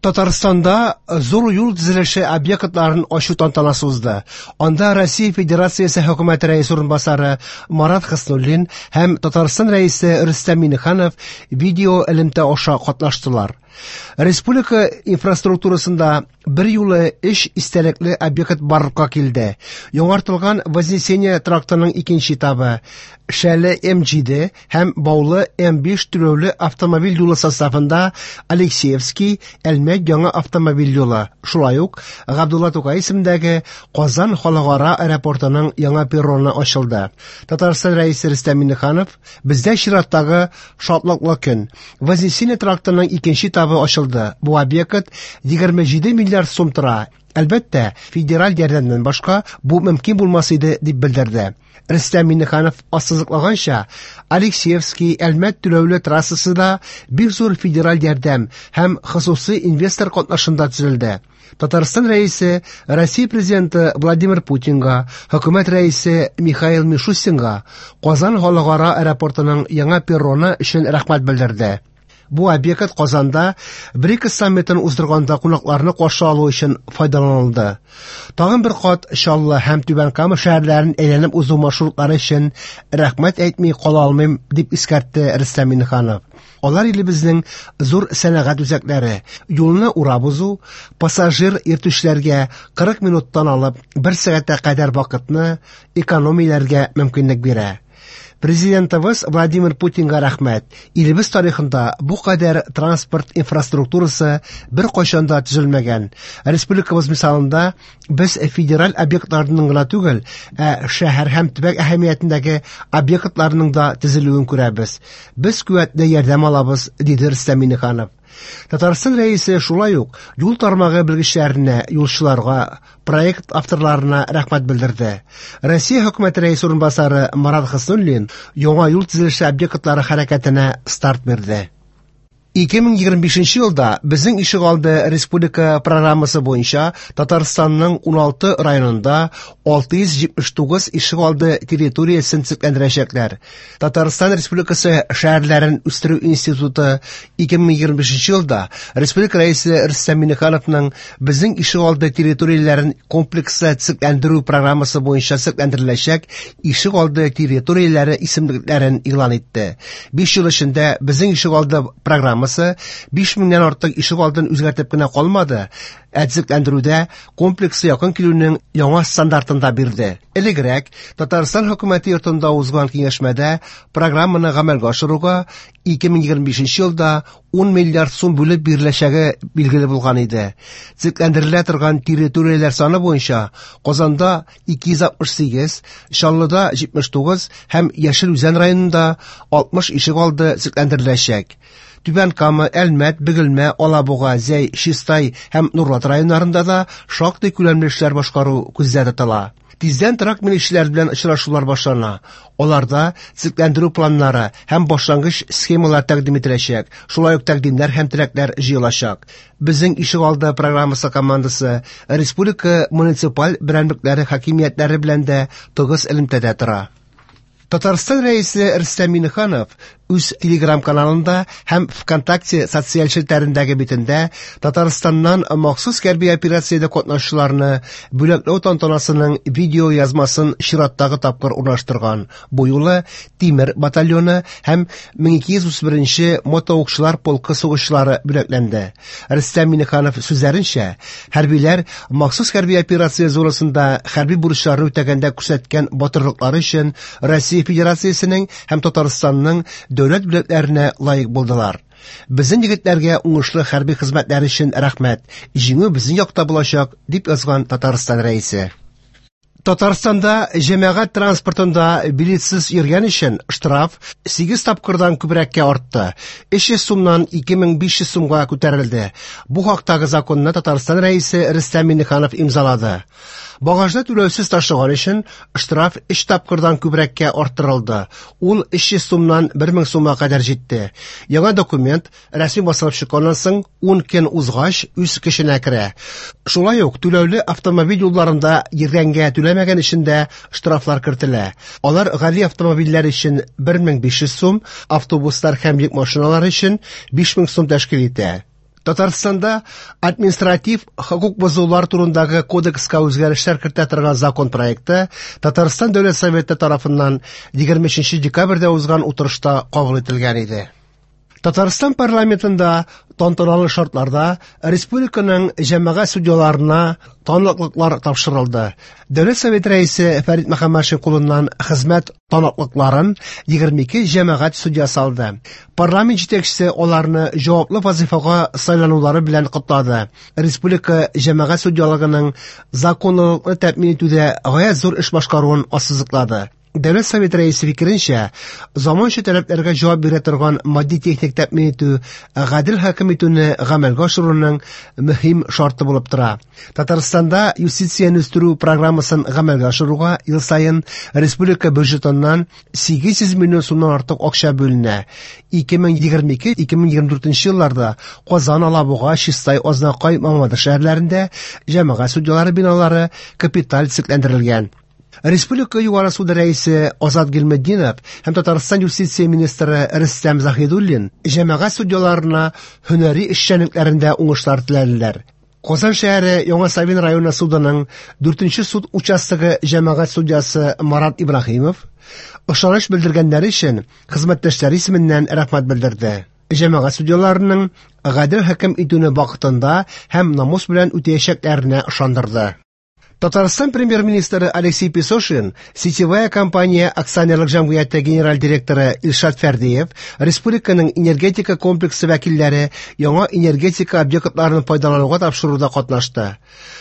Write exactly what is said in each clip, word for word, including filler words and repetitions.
Татарстанда зур юл төзелеше объектларын ачу тантанасы узды. Анда Россия Федерациясе Хөкүмәте Рәисе урынбасары Марат Хөснуллин һәм Татарстан Рәисе Рөстәм Миңнеханов видео элемтә аша катнаштылар. Республика инфраструктурасында бер юлы өч истәлекле объект барлыкка килде. Яңартылган Вознесение трактының икенче этабы, Шәле М җиде һәм Баулы М биш түләүле автомобиль юлы составында Алексеевский Әлмәт яңа автомобиль юлы, шулай ук Габдулла Тукай исемендәге Казан халыкара аэропортының яңа перроны ачылды. Татарстан Рәисе Рөстәм Миңнеханов: "Бездә чираттагы шатлыклы көн. Вознесение трактының икенче этабы ачылды. Бу объект егерме җиде миллиард сум тора. Әлбәттә, федераль ярдәмнән башка бу мөмкин булмас иде", дип белдерде. Рөстәм Миңнеханов ассызыклаганча, Алексеевский Әлмәт түләүле трассасы да бик зур федераль ярдәм һәм хосусый инвестор катнашында төзелде. Татарстан Рәисе Россия Президенты Владимир Путинга, Хөкүмәт Рәисе Михаил Мишустинга Казан халыкара аэропортының яңа перроны өчен рәхмәт белдерде. Бу объект Казанда БРИКС саммитын уздырганда кунакларны каршы алу өчен файдаланылды. Тагын бер кат Чаллы һәм Түбән Кама шәһәрләрен әйләнеп узу маршрутлары өчен рәхмәт әйтми кала алмыйм, дип искәртте Рөстәм Миңнеханов. Алар илебезнең зур сәнәгать үзәкләре, юлны урап узу, пассажир йөртүчеләргә кырык минуттан алып бер сәгатькә кадәр вакытны экономияләргә мөмкинлек бирә. Президентыбыз Владимир Путинга рәхмәт. Илебез тарихында бу кадәр транспорт инфраструктурасы бер кайчан да төзелмәгән. Республикабыз мисалында без федераль объектларның гына түгел, ә шәһәр һәм төбәк әһәмиятендәге объектларның да төзелүен күрәбез. Без куәтле ярдәм алабыз, диде Рөстәм Миңнеханов. Татарстан Рәисе шулай ук юл тармагы белгечләренә, юлчыларга, проект авторларына рәхмәт белдерде. Россия Хөкүмәте Рәисе урынбасары Марат Хөснуллин яңа юл төзелеше объектлары хәрәкәтенә старт бирде. Ике мең егерме бишенче елда Безнең ишегалды республика программасы буенча Татарстанның уналты районында алты йөз җитмеш тугыз ишегалды территориясен төзекләндерәчәкләр. Татарстан Республикасы шәһәрләрен үстерү институты ике мең егерме бишенче елда Республика Рәисе Рөстәм Миңнехановның Безнең ишегалды территорияләрен комплекслы төзекләндерү программасы буенча төзекләндереләчәк ишегалды территорияләре исемлекләрен игълан итте. Биш ел эчендә Безнең ишегалды программасы биш меңнән артык ишегалдын үзгәртеп кенә калмады, ә төзекләндерүдә комплексы якын килүнең яңа стандартын да бирде. Элегрәк Татарстан хөкүмәте йортында узган киңәшмәдә программаны гамәлгә ашыруга ике мең егерме бишенче елда ун миллиард сум бүлеп биреләчәге билгеле булган иде. Төзекләндерелә торган территорияләр саны буенча Казанда ике йөз алтмыш сигез, Чаллыда җитмеш тугыз һәм Яшел Үзән районында алтмыш ишегалды төзекләндереләчәк. Түбән Кама, Әлмәт, Бөгелмә, Алабуга, Зәй, Чистай һәм Нурлат районнарында да шактый күләмле эшләр башкару күздә тотыла. Тиздән торак милекчеләр белән очрашулар башлана. Аларда төзекләндерү планнары һәм башлангыч схемалар тәкъдим ителәчәк. Шулай ук тәкъдимнәр һәм теләкләр җыелачак. Безнең ишегалды программасы командасы республика муниципаль берәмлекләре хакимиятләре белән дә тыгыз элемтәдә тора. Татарстан Рәисе Рөстәм Миңнеханов үз телеграм-каналында һәм ВКонтакте социаль челтәрендәге битендә Татарстаннан махсус хәрби операциядә катнашучыларны бүләкләү тантанасының видео язмасын чираттагы тапкыр урнаштырган. Бу юлы Тимер батальоны һәм мең ике йөз утыз беренче мотоукчылар полкы сугышчылары бүләкләнде. Рөстәм Миңнеханов сүзләренчә, хәрбиләр махсус хәрби операция зонасында хәрби бурычларны үтәгәндә күрсәткән батырлыклары өчен Россия Федерациясенең һәм Татарстанның дәүләт бүләкләренә лаек булдылар. Безнең егетләргә уңышлы хәрби хезмәтләре өчен рәхмәт. Җиңү безнең якта булачак, дип язган Татарстан Рәисе. Татарстанда җәмәгать транспортында билетсыз йөргән өчен штраф сигез тапкырдан күбрәккә артты. Өч йөз сумнан ике мең биш йөз сумга күтәрелде. Бу хактагы законны Татарстан Рәисе Рөстәм Миңнеханов имзалады. Багажны түләүсез ташыган өчен штраф өч тапкырдан күбрәккә арттырылды. Ул өч йөз сумнан бер мең сумга кадәр җитте. Яңа документ рәсми басылып чыкканнан соң ун көн узгач үз көченә керә. Шулай ук түләүле автомобиль юлларында йөргәнгә түләмәгән өчен дә штрафлар кертелә. Алар гади автомобильләр өчен бер мең биш йөз сум, автобуслар һәм йөк машиналары өчен биш мең сум тәшкил итә. Татарстанда административ хокук бозулар турындагы кодекска үзгәрешләр кертә торган закон проекты Татарстан Дәүләт Советы тарафыннан егерме өченче декабрьдә узган утырышта кабул ителгән иде. Татарстан парламентында тантаналы шартларда республиканың җәмәгать судьяларына таныклыклар тапшырылды. Дәүләт Советы рәисе Фәрит Мөхәммәтшин кулыннан хезмәт таныклыкларын егерме ике җәмәгать судьясы алды. Парламент җитәкчесе аларны җаваплы вазифага сайланулары белән котлады. Республика җәмәгать судьялыгының законлылыкны тәэмин итүдә гаять зур эш башкаруын ассызыклады. Дәүләт Советы рәисе фикеренчә, заманча таләпләргә җавап бирә торган матди-техник тәэмин итү гадел хөкем итүне гамәлгә ашыруның мөһим шарты булып тора. Татарстанда юстицияне үстерү программасын гамәлгә ашыруга ел саен республика бюджетыннан сигез йөз миллион сумнан артык акча бүленә. ике мең егерме ике - ике мең егерме дүртенче елларда Казан, Алабуга, Чистай, Азнакай, Мамадыш шәһәрләрендә җәмәгать судьялары биналары капиталь төзекләндерелгән. Республика Югары суды рәисе Азат Гыйльметдинов һәм Татарстан юстиция министры Рөстәм Заһидуллин җәмәгать судьяларына һөнәри эшчәнлекләрендә уңышлар теләделәр. Казан шәһәре Яңа Савин районы судының дүртенче суд участогы җәмәгать судьясы Марат Ибраһимов ышаныч белдергәннәре өчен хезмәттәшләре исеменнән рәхмәт белдерде. Җәмәгать судьяларының гадел хөкем итүне вакытында һәм намус белән үтәячәкләренә ышандырды. Татарстан премьер-министры Алексей Песошин, сетевая компания акционерлык җәмгыяте генераль директоры Илшат Фәрдиев, республиканың энергетика комплексы вәкилләре яңа энергетика объектларын файдалануга тапшыруда катнашты.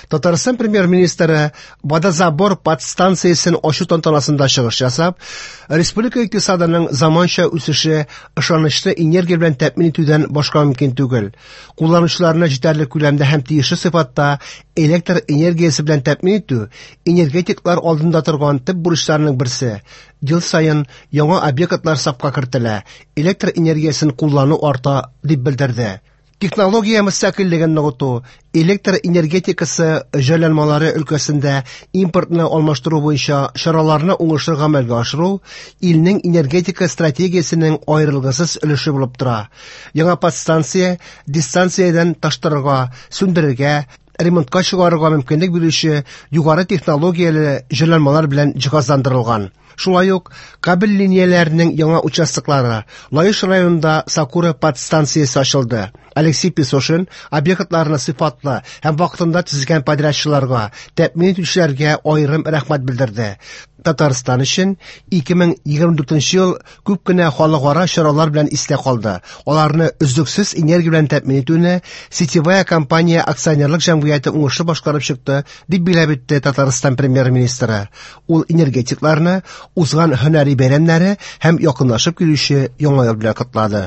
Татарстан премьер-министры водозабор подстанциясен ачу тантанасында чыгыш ясап, республика икътисадының заманча үсеше ышанычлы энергия белән тәэмин итүдән башка мөмкин түгел. Кулланучыларны җитәрлек күләмдә һәм тиешле сыйфатта электр энергиясе белән тәэмин итү энергетиклар алдында торган төп бурычларның берсе. Ел саен яңа объектлар сафка кертелә, электр энергиясен куллану арта, дип белдерде. Технология мөстәкыйльлеген ныгыту, электр энергетикасы җайланмалары өлкәсендә импортны алмаштыру буенча чараларны уңышлы гамәлгә ашыру илнең энергетика стратегиясенең аерылгысыз өлеше булып тора. Яңа подстанция дистанциядән таштырырга, сүндерергә, ремонтка чыгарырга мөмкинлек бирүче югары технологияле җайланмалар белән җиһазландырылган. Шулай ук кабель линияләренең яңа участоклары Лаеш районында Сакура подстанциясе ачылды. Алексей Песошин объектларны сыйфатлы һәм вакытында төзегән подрядчыларга, тәэмин итүчеләргә аерым рәхмәт белдерде. Татарстан өчен ике мең егерме дүртенче ел күп кенә халыкара чаралар белән истә калды. Аларны өзлексез энергия белән тәэмин итүне сетевая компания акционерлык җәмгыяте уңышлы башкарып чыкты, дип билгеләп үтте Татарстан премьер-министры. Ул энергетикларны узган һөнәри бәйрәмнәре һәм якынлашып килүче яңа ел белән котлады.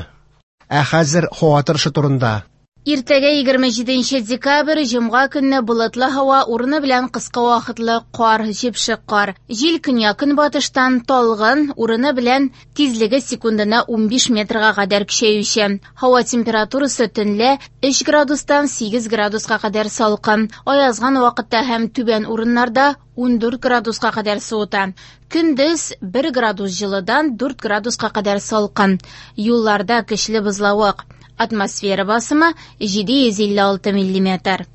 Ә хәзер һава торышы турында. Иртәгә егерме җиденче декабрь җомга көнне болытлы һава, урыны белән кыска вакытлы кар, җепшек кар. Җил көньяк-көнбатыштан талгын, урыны белән тизлеге секундына унбиш метрга кадәр көчәюче. Һава температурасы төнлә өч градустан сигез градуска кадәр салкын. Аязган вакытта һәм түбән урыннарда ундүрт градуска кадәр суыта. Көндез бер градус җылыдан дүрт градуска кадәр салкын. Юлларда көчле бозлавык. Атмосфера басымы җиде йөз илле алты миллиметр.